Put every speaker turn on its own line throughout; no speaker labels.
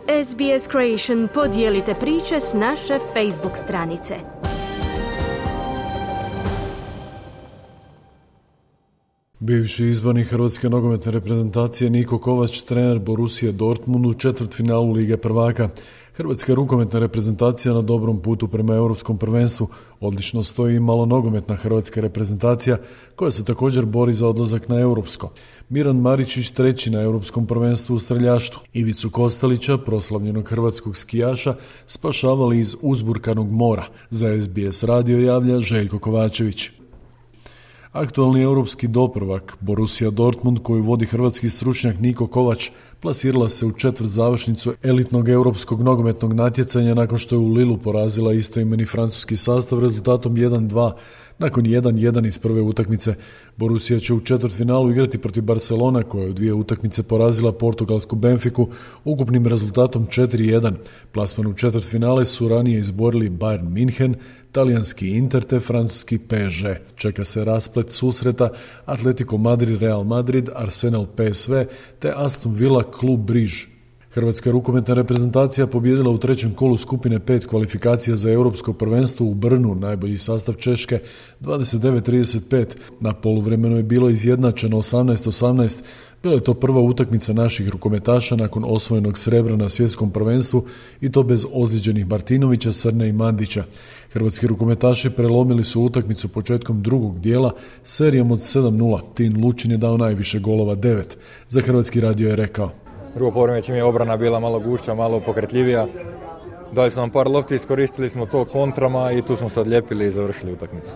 SBS Creation, podijelite priče s naše Facebook stranice.
Bivši izbornik hrvatske nogometne reprezentacije Niko Kovač, trener Borussia Dortmund u četvrtfinalu Lige prvaka. Hrvatska rukometna reprezentacija na dobrom putu prema europskom prvenstvu. Odlično stoji i malonogometna hrvatska reprezentacija koja se također bori za odlazak na europsko. Miran Maričić treći na europskom prvenstvu u streljaštvu. Ivicu Kostelića, proslavljenog hrvatskog skijaša, spašavali iz uzburkanog mora. Za SBS radio javlja Željko Kovačević. Aktualni europski doprvak Borussia Dortmund, koju vodi hrvatski stručnjak Niko Kovač, plasirala se u četvrtzavršnicu elitnog europskog nogometnog natjecanja nakon što je u Lillu porazila istoimeni francuski sastav rezultatom 1-2 nakon 1-1 iz prve utakmice. Borussia će u četvrtfinalu igrati protiv Barcelona, koja je u dvije utakmice porazila portugalsku Benfiku ukupnim rezultatom 4-1. Plasman u četvrtfinale su ranije izborili Bayern München, talijanski Inter te francuski PSG. Čeka se rasplet susreta Atletico Madrid Real Madrid, Arsenal PSV te Aston Villa Klub Briž. Hrvatska rukometna reprezentacija pobijedila u trećem kolu skupine 5 kvalifikacija za europsko prvenstvo u Brnu, najbolji sastav Češke, 29-35. Na poluvremenu je bilo izjednačeno 18-18. Bila je to prva utakmica naših rukometaša nakon osvojenog srebra na svjetskom prvenstvu i to bez ozlijeđenih Martinovića, Srne i Mandića. Hrvatski rukometaši prelomili su utakmicu početkom drugog dijela serijom od 7-0. Tin Lučin je dao najviše golova, 9. Za Hrvatski radio je rekao:
Drugo poluvreme čim je obrana bila malo gušća, malo pokretljivija. Dali su nam par lopti, iskoristili smo to kontrama i tu smo se odlijepili i završili utakmicu.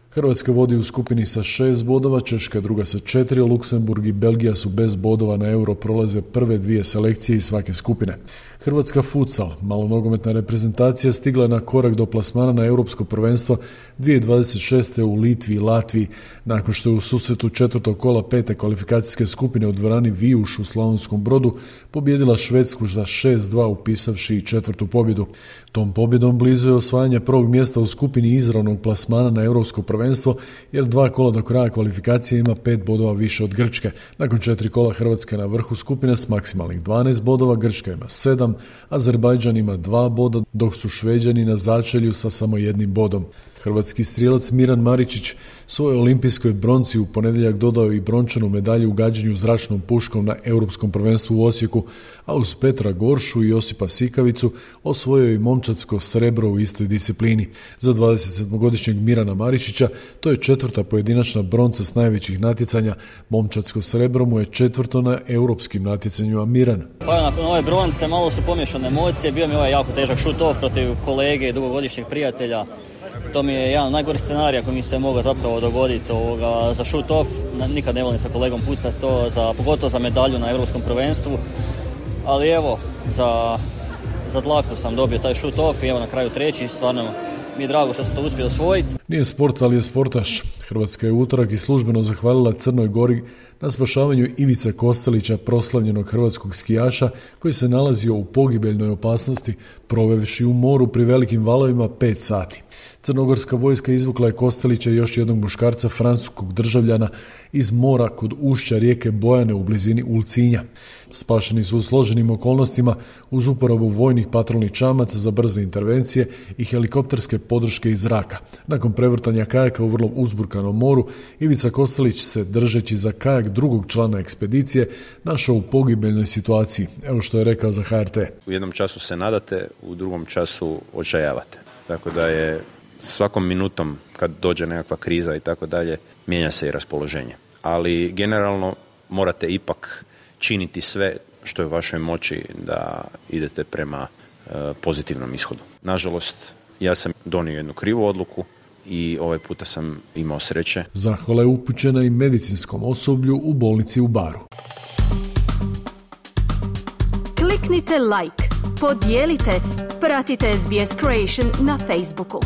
Hrvatska vodi u skupini sa 6 bodova, Češka druga sa 4, Luksemburg i Belgija su bez bodova na euro prolaze prve dvije selekcije iz svake skupine. Hrvatska futsal, malonogometna reprezentacija, stigla je na korak do plasmana na europsko prvenstvo 2026. u Litvi i Latviji, nakon što je u susretu četvrtog kola pete kvalifikacijske skupine u dvorani Vijuš u Slavonskom Brodu pobijedila Švedsku za 6-2 upisavši i četvrtu pobjedu. Tom pobjedom blizu je osvajanje prvog mjesta u skupini izravnog plasmana na europsko prvenstvo, jer 2 kola do kraja kvalifikacije ima 5 bodova više od Grčke. Nakon 4 kola Hrvatska na vrhu skupine s maksimalnih 12 bodova, Grčka ima 7, Azerbajdžan ima 2 boda, dok su Šveđani na začelju sa samo 1 bodom. Hrvatski strijelac Miran Maričić svojoj olimpijskoj bronci u ponedjeljak dodao i brončanu medalju u gađanju zračnom puškom na europskom prvenstvu u Osijeku, a uz Petra Goršu i Josipa Sikavicu osvojio i momčadsko srebro u istoj disciplini. Za 27-godišnjeg Mirana Maričića to je četvrta pojedinačna bronca s najvećih natjecanja. Momčadsko srebro mu je četvrto na europskim natjecanjima. Miran:
Pa nakon ove bronce malo su pomiješane emocije, bio mi ovaj jako težak shoot-off protiv kolege i dugogodišnjeg prijatelja. To mi je jedan od najgorih scenarija koji mi se mogao zapravo dogoditi za shoot-off. Nikad ne volim sa kolegom pucati to, pogotovo za medalju na europskom prvenstvu. Ali evo, za dlaku sam dobio taj shoot-off i evo na kraju treći, stvarno mi je drago što sam to uspio osvojiti.
Nije sport, ali je sportaš. Hrvatska je u utorak i službeno zahvalila Crnoj Gori na spašavanju Ivice Kostelića, proslavljenog hrvatskog skijaša koji se nalazio u pogibeljnoj opasnosti, provevši u moru pri velikim valovima 5 sati. Crnogorska vojska izvukla je Kostelića i još jednog muškarca, francuskog državljana, iz mora kod ušća rijeke Bojane u blizini Ulcinja. Spašeni su u složenim okolnostima uz uporabu vojnih patrolnih čamaca za brze intervencije i helikopterske podrške iz zraka. Nakon prevrtanja kajaka u vrlo uzburkanom moru, Ivica Kostelić se, držeći za kajak drugog člana ekspedicije, našao u pogibeljnoj situaciji. Evo što je rekao za HRT.
U jednom času se nadate, u drugom času očajavate. Tako da je svakom minutom kad dođe nekakva kriza i tako dalje, mijenja se i raspoloženje. Ali generalno morate ipak činiti sve što je u vašoj moći da idete prema pozitivnom ishodu. Nažalost, ja sam donio jednu krivu odluku i ovaj puta sam imao sreće.
Zahvala je upućena i medicinskom osoblju u bolnici u Baru.
Kliknite like, podijelite, pratite SBS Creation na Facebooku.